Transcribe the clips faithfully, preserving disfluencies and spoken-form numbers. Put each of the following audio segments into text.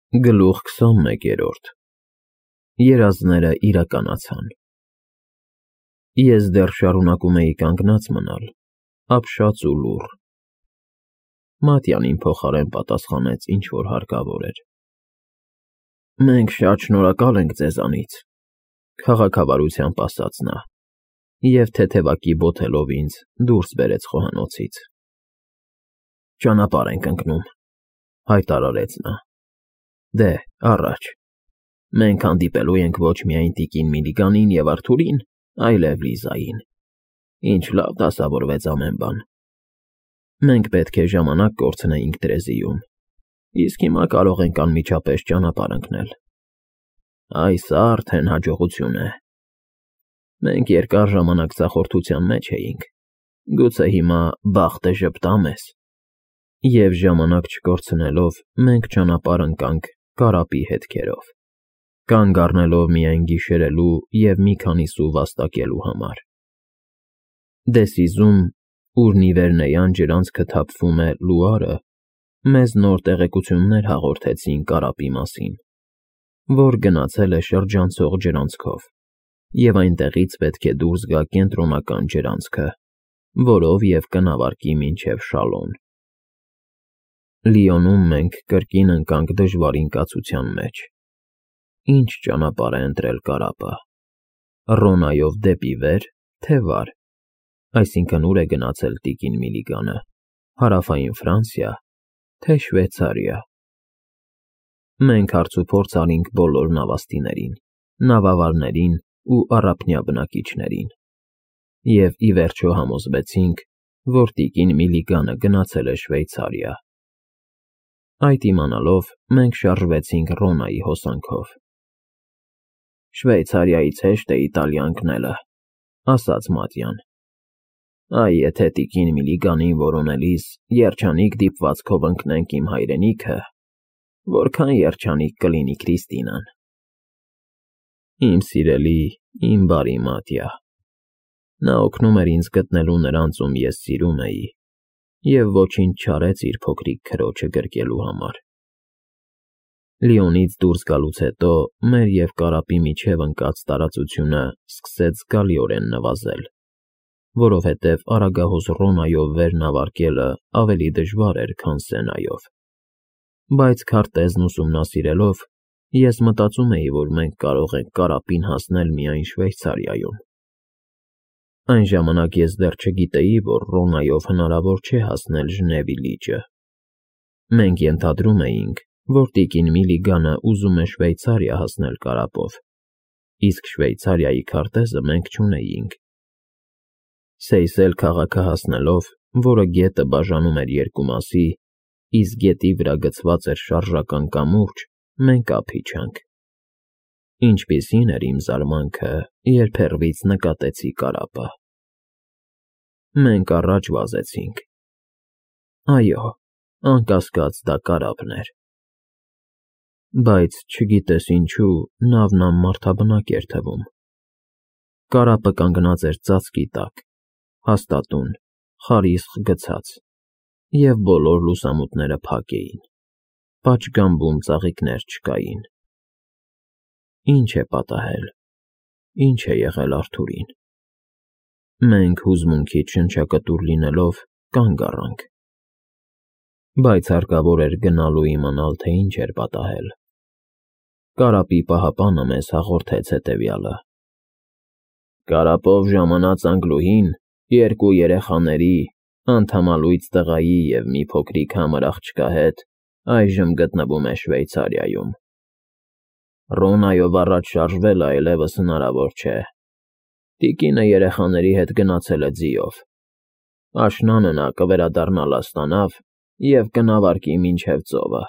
Գլուխ քսանմեկերորդ Երազները իրականացան։ Ես դեռ շարունակում էի կանգնած մնալ, ապշած ու լուռ։ Մատյան իմ փոխարեն պատասխանեց ինչ֊որ հարկավոր էր։ Մենք շատ շնորհակալ ենք ձեզանից, քաղաքավարությամբ ասաց նա, և թեթևակի բոթելով ինձ դուրս բերեց խոհանոցից։ Ճանապարհ ենք ընկնում, հայտարարեց նա։ Դե, առաջ, մենք հանդիպելու ենք ոչ միայն տիկին Միլիգանին և Արթուրին, այլև Լիզային, ինչ լավ դասավորվեց ամեն բան։ Մենք պետք է ժամանակ կորցնեինք Տրեզիում, իսկ հիմա կարող ենք անմիջապես ճանապարհ ընկնել։ Այս արդեն հաջողություն է։ Մենք երկար ժամանակ ձախորդության մեջ էինք, գուցե հիմա բախտը ժպտա մեզ։ Եվ ժամանակ չկորցնելով մենք ճանապարհ ընկանք կարապի հետքերով, կանգ առնելով միայն գիշերելու և մի քանի սու վաստակելու համար։ Դեսիզում, ուր Նիվերնեյան ջրանցքը թափվում է Լուարը, մեզ նոր տեղեկություններ հաղորդեցին կարապի մասին, որ գնացել է շրջանցող ջրանցքով, և այնտեղից պետք է դուրս գա կենտրոնական ջրանցքը, որով և կնավարկի մինչև Շալոն։ Լիոնում մենք կրկին ընկանք դժվար ընկացության մեջ։ Ինչ ճանապարհ է ընտրել կարապը, Ռոնայով դեպի վեր, թե վար, այսինքն ուր է գնացել տիկին Միլիգանը, հարավային Ֆրանսիա, թե Շվեյցարիա։ Մենք հարցուփորձ արինք բոլոր նավաստիներին, նավավարներին ու առափնյա բնակիչներին, և ի վերջո համոզվեցինք, որ տիկին Միլիգանը գնացել է Շվեյցարիա։ Այդ իմանալով մենք շարժվեցինք Ռոնայի հոսանքով։ Շվեյցարիայից հեշտ է Իտալիա ընկնելը, ասաց Մատյան։ Այ եթե տիկին Միլիգանին որոնելիս երջանիկ դիպվածքով ընկնենք իմ հայրենիքը, որքան երջանիկ կլինի Քրիստինան։ Իմ սիրելի, իմ բարի Մատյա։ Նա օգնում էր ինձ գտնելու նրանց, ում ես սիրում էի, և ոչինչ չարեց իր փոքրիկ քրոջը գրկելու համար։ Լիոնից դուրս գալուց հետո մեր և կարապի միջև ընկած տարածությունը սկսեց զգալիորեն նվազել, որովհետև Արագահոս Ռոնայով վեր նավարկելը ավելի դժվար էր, քան Սենայով։ Բայց քարտեզն ուսումնասիրելով, ես մտածում էի, որ մենք կարող ենք կարապին հասնել միայն Շվեյցարիայում։ Այն ժամանակ ես դեռ չգիտեի, որ Ռոնայով հնարավոր չէ հասնել Ժնևի լիճը։ Մենք ենթադրում էինք, որ տիկին Միլիգանը ուզում է Շվեյցարիա հասնել կարապով, իսկ Շվեյցարիայի քարտեզը մենք չունեինք։ Սեյսել քաղաքը հասնելով, որը գետը բաժանում էր երկու մասի, իսկ գետի վրա գցված էր շարժական կամուրջ, մենք ափ իջանք։ Ինչպիսին էր իմ զարմանքը, երբ հեռվից նկատեցի կարապը։ Մենք առաջ վազեցինք։ Այո, անկասկած դա կարապն էր։ Բայց չգիտես ինչու, նավն անմարդաբնակ էր թվում։ Կարապը կանգնած էր ծածկի տակ, հաստատուն, խարիսխ գցած, և բոլոր լուսամուտները փակ էին, պատշգամբում ծաղիկներ չկային։ Ինչ է պատահել, ինչ է եղել Արթուրին։ Մենք հուզմունքից շնչակտուր լինելով կանգ առանք։ Բայց հարկավոր էր գնալ ու իմանալ, թե ինչ էր պատահել։ Կարապի պահապանը մեզ հաղորդեց հետևյալը. Կարապով ժամանած անկլուհին երկու երեխաների, անդամալույծ տղայի և մի փոքրիկ համր աղջկա հետ այժմ գտնվում է Շվեյցարիայում։ Ռոնայով առաջ շարժվելը այլևս հնարավոր չէ։ Տիկինը երեխաների հետ գնացել է ձիով։ Աշնանը նա կվերադառնա Լաստանավ և կնավարկի մինչև ծովը,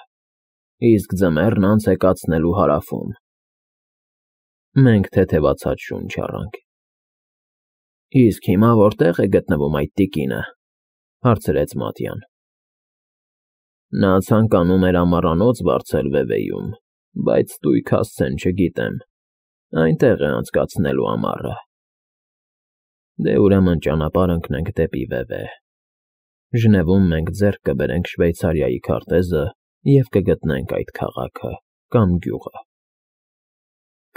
իսկ ձմեռն անց է կացնելու հարավում։ Մենք թեթևացած շունչ առանք։ Իսկ հիմա որտե՞ղ է գտնվում այդ տիկինը, հարցրեց Մատյան։ Նա ցանկանում էր ամառանոց վարձել Վևեյում, բայց տույք հասցեն չգիտեմ, այնտեղ է անցկացնելու ամառը։ Դե ուրեմն ճանապարհ ընկնենք դեպի Վևե։ Ժնևում մենք ձեռք կբերենք Շվեյցարիայի քարտեզը և կգտնենք այդ քաղաքը։ կամ գյուղը։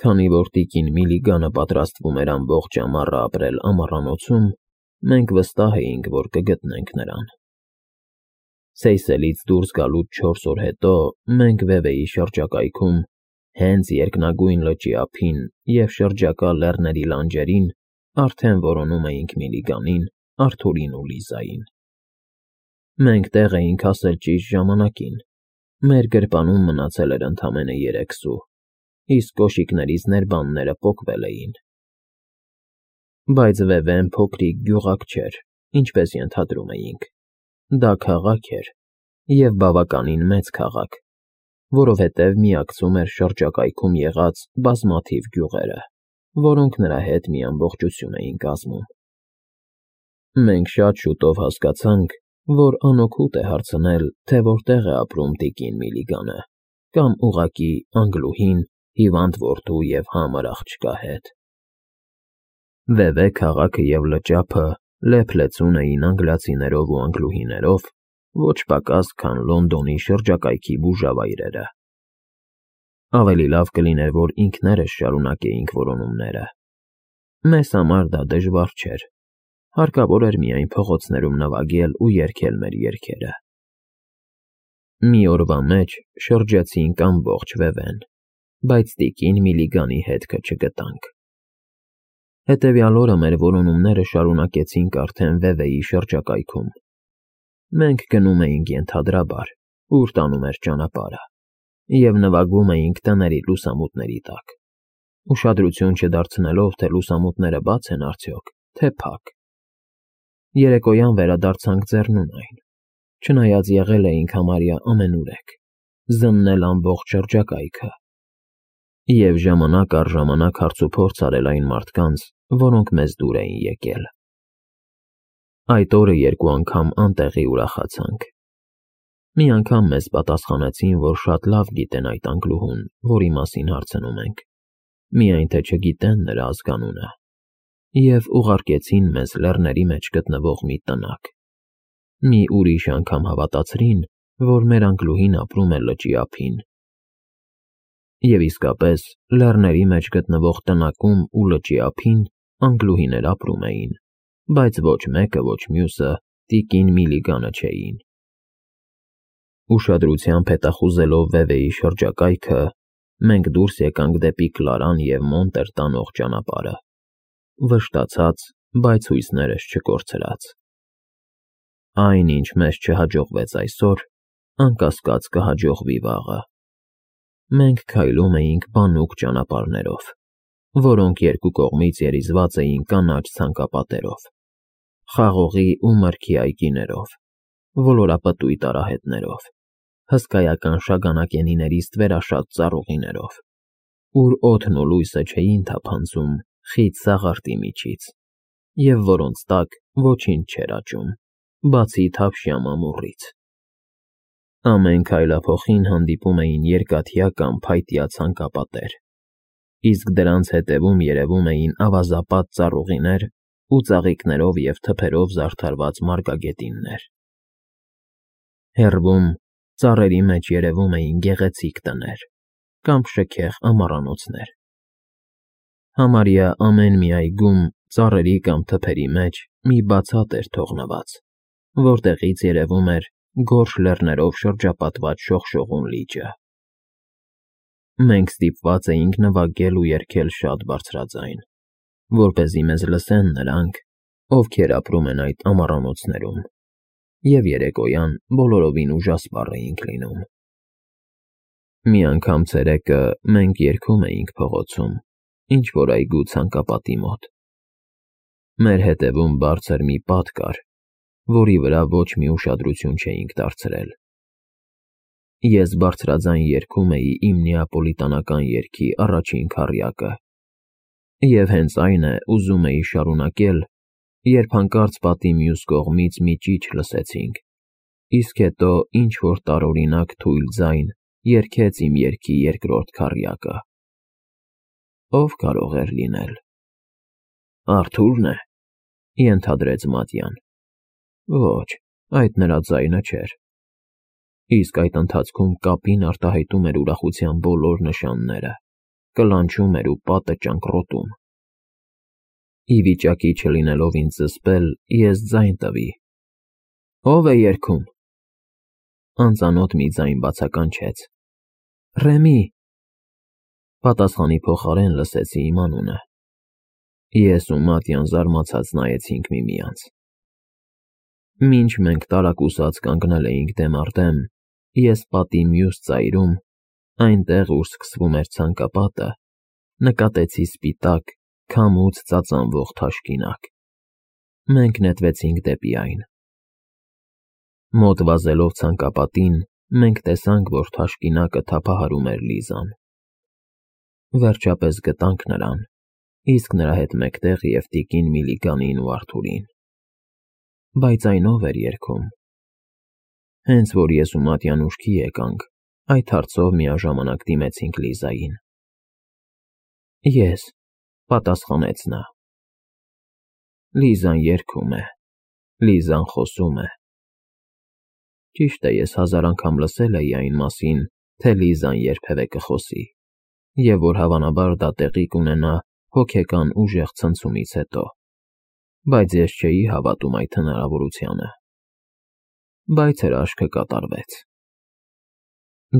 Քանի որ տիկին Միլիգանը պատրաստվում էր ամբողջ ամառը ապրել ամառանոցում, մենք վստահ էինք, որ կգտնենք նրան։ Սեյսելից դուրս գալուց չորս օր հետո մենք Վևեի շրջակայքում, հենց երկնագույն լճի ափին և շրջակա լեռների լանջերին արդեն որոնում էինք Միլիգանին, Արթուրին ու Լիզային։ Մենք տեղ էինք հասել ճիշտ ժամանակին, մեր գրպանում մնացել էր ընդամենը երեք սու, իսկ կոշիկներիս ներբանները պոկվել էին։ Բայց Վևեն փոքրիկ գյուղակ չէր, ինչպես ենթադրում էինք, դա քաղաք էր, և բավականին մեծ քաղաք, որովհետև միակցում էր շրջակայքում եղած բազմաթիվ գյուղերը, որոնք նրա հետ մի ամբողջություն էին կազմում։ Մենք շատ շուտով հասկացանք, որ անօգուտ է հարցնել, թե որտեղ է ապրում տիկին Միլիգանը, կամ ուղղակի Անգլուհին, հիվանդ որդու և համր աղջկա հետ։ Վևե քաղաքը և լճափը լեփ-լեցուն էին անգլիացիներով ու անգլուհիներով, ոչ պակաս, քան Լոնդոնի շրջակայքի բուժավայրերը։ Ավելի լավ կլիներ, որ ինքներս շարունակեինք որոնումները։ Մեզ համար դա դժվար չէր, հարկավոր էր միայն փողոցներում նվագել ու երգել մեր երգերը։ Մի օրվա մեջ շրջեցինք ամբողջ Վևեն, բայց տիկին Միլիգանի հետքը չգտանք։ Հետևյալ օրը մեր որոնումները շարունակեցինք արդեն Վևեի շրջակայքում։ Մենք գնում էինք ենթադրաբար, ուր տանում էր ճանապարհը, և նվագում էինք տների լուսամուտների տակ, ուշադրություն չդարձնելով, թե լուսամուտները բաց են արդյոք, թե փակ։ Երեկոյան վերադարձանք Ձեռնունայն, չնայած եղել էինք համարյա ամենուրեք, զննել ամբողջ շրջակայքը և ժամանակ առ ժամանակ հարցուփորձ արել այն մարդկանց, որոնք մեզ դուր էին եկել։ Այդ օրը երկու անգամ անտեղի ուրախացանք։ Մի անգամ մեզ պատասխանեցին, որ շատ լավ գիտեն այդ անգլուհուն, որի մասին հարցնում ենք, միայն թե չգիտեն նրա ազգանունը, և ուղարկեցին մեզ լեռների մեջ գտնվող մի տնակ։ Մի ուրիշ անգամ հավատացրին, որ մեր անգլուհին ապրում է լճի ափին։ Եվ իսկապես, լեռների մեջ գտնվող տնակում ու լճի ափին անգլուհիներ ապրում էին, բայց ոչ մեկը, ոչ մյուսը տիկին Միլիգանը չէին։ Ուշադրությամբ հետախուզելով Վևեի շրջակայքը, մենք դուրս եկանք դեպի Կլարան և Մոնտեր տանող ճանապարհը, վշտացած, բայց հույսներս չկորցրած։ Այն, ինչ մեզ չհաջողվեց այսօր, անկասկած կհաջողվի վաղը։ Մենք քայլում էինք բանուկ ճանապարհներով, որոնք երկու կողմից երիզված էին կանաչ ցանկապատերով, խաղողի ու մրգի այգիներով, ոլորապտույտ արահետներով, հսկայական շագանակենիների ստվերաշատ ծառուղիներով, ուր օդն ու լույսը չէին թափանցում խիտ սաղարթի միջից, և որոնց տակ ոչինչ չէր աճում, բացի թավշյա մամուռից։ Ամեն քայլափոխին հանդիպում էին երկաթյա կամ փայտյա ցանկապատեր, իսկ դրանց հետևում երևում էին ավազապատ ծառուղիներ ու ծաղիկներով և թփերով զարդարված մարգագետիններ։ Հեռվում, ծառերի մեջ երևում էին գեղեցիկ տներ կամ շքեղ ամառանոցներ։ Համարյա ամեն մի այգում ծառերի կամ թփերի մեջ մի բացատ էր թողնված, որտեղից երևում էր գորշ լեռներով շրջապատված շողշողուն լիճը։ Մենք ստիպված էինք նվագել ու երգել շատ բարձրաձայն, որպեսզի մեզ լսեն նրանք, ովքեր ապրում են այդ ամառանոցներում, և երեկոյան բոլորովին ուժասպառ էինք լինում։ Մի անգամ ցերեկը մենք երգում էինք փողոցում, ինչ-որ այգու ցանկապատի մոտ։ Մեր հետևում բարձր մի պատ կար, որի վրա ոչ մի ուշադրություն չէինք դարձրել։ Ես բարձրաձայն երգում էի իմ նեապոլիտանական երգի առաջին քառյակը, և հենց այն է ուզում էի շարունակել, երբ հանկարծ պատի մյուս կողմից մի ճիչ լսեցինք, իսկ հետո ինչ֊որ տարօրինակ թույլ ձայն երգեց իմ երգի երկրորդ քառյակը։ Ո՞վ կարող էր լինել։ Արթո՞ւրն է,֊ ենթադրեց Մատյան։ Ոչ, այդ նրա ձայնը չէր։ իսկ այդ ընթացքում կապին արտահայտում էր ուրախության բոլոր նշանները, կլանչում էր ու պատը ճանկռոտում։ Ի վիճակի չլինելով ինձ զսպել, ես ձայն տվի. «Ո՞վ է երգում»։ Անծանոթ մի ձայն բացականչեց. «Ռեմի»։ Պատասխանի փոխարեն լսեցի իմ անունը։ Ես ու Մատյան զարմացած նայեցինք միմյանց։ Մինչ մենք տարակուսած կանգնել էինք դեմ առ դեմ, ես պատի մյուս ծայրում, այնտեղ, ուր սկսվում էր ցանկապատը, նկատեցի սպիտակ, քամուց ծածանվող թաշկինակ։ Մենք նետվեցինք դեպի այն։ Մոտ վազելով ցանկապատին, մենք տեսանք, որ թաշկինակը թափահարում էր Լիզան։ Վերջապես գտանք նրան, իսկ նրա հետ մեկտեղ և տիկին Միլիգանին ու Արթուրին։ Բայց այն ո՞վ էր երգում։ Հենց որ ես ու Մատյան ուշքի եկանք, այդ հարցով միաժամանակ դիմեցինք Լիզային։ Ես, պատասխանեց նա։ Լիզան երգում է, Լիզան խոսում է։ Ճիշտ է, ես հազար անգամ լսել էի այն մասին, թե Լիզան երբևէ կխոսի, և որ հավանաբար դա տեղի կունենա հոգեկան ուժեղ ցնցումից հետո, բայց ես չէի հավատում այդ հնարավորությանը։ Բայց հրաշքը կատարվեց։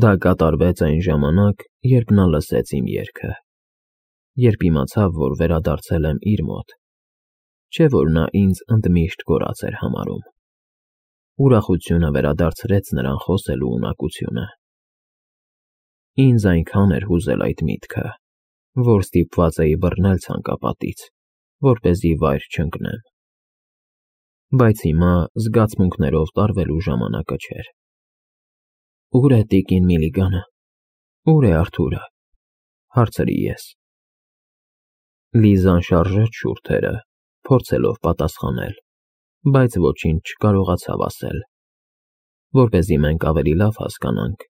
Դա կատարվեց այն ժամանակ, երբ նա լսեց իմ երգը, երբ իմացավ, որ վերադարձել եմ իր մոտ, չէ՞ որ նա ինձ ընդմիշտ կորած էր համարում։ Ուրախությունը վերադարձրեց նրան խոսելու ունակությունը։ Ինձ այնքան էր հուզել այդ միտքը, որ ստիպված էի բռնել ցանկապատից, որպեսզի վայր չընկնեմ։ Բայց հիմա զգացմունքներով տարվելու ժամանակը չէր։ Ո՞ւր է տիկին Միլիգանը, ո՞ւր է Արթուրը, հարցրի ես։ Լիզան շարժեց շուրթերը, փորձելով պատասխանել, բայց ոչինչ չկարողացավ ասել։ Որպեսզի մենք ավելի լավ հասկանանք,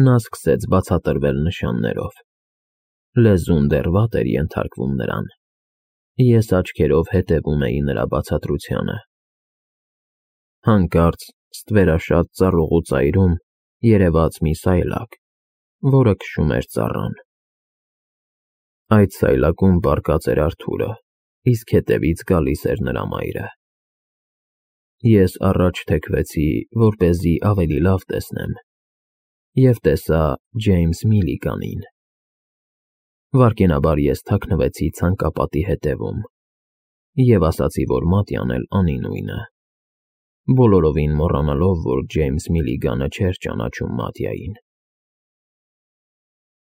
նա սկսեց բացատրվել նշաններով։ Լեզուն դեռ վատ էր ենթարկվում նրան։ Ես աչքերով հետևում էի նրա բացատրությանը։ Հանկարծ ստվերաշատ ծառուղու ծայրում երևաց մի սայլակ, որը քշում էր ծառան։ Այդ սայլակում պառկած էր Արթուրը, իսկ հետևից գալիս էր նրա մայրը։ Ես առաջ թեքվեցի, որպեսզի ավելի լավ տեսնեմ, և տեսա Ջեյմս Միլիգանին։ Վայրկենաբար ես թաքնվեցի ցանկապատի հետևում և ասացի, որ Մատյան էլ անի նույնը, բոլորովին մոռանալով, որ Ջեյմս Միլիգանը չէր ճանաչում Մատյային։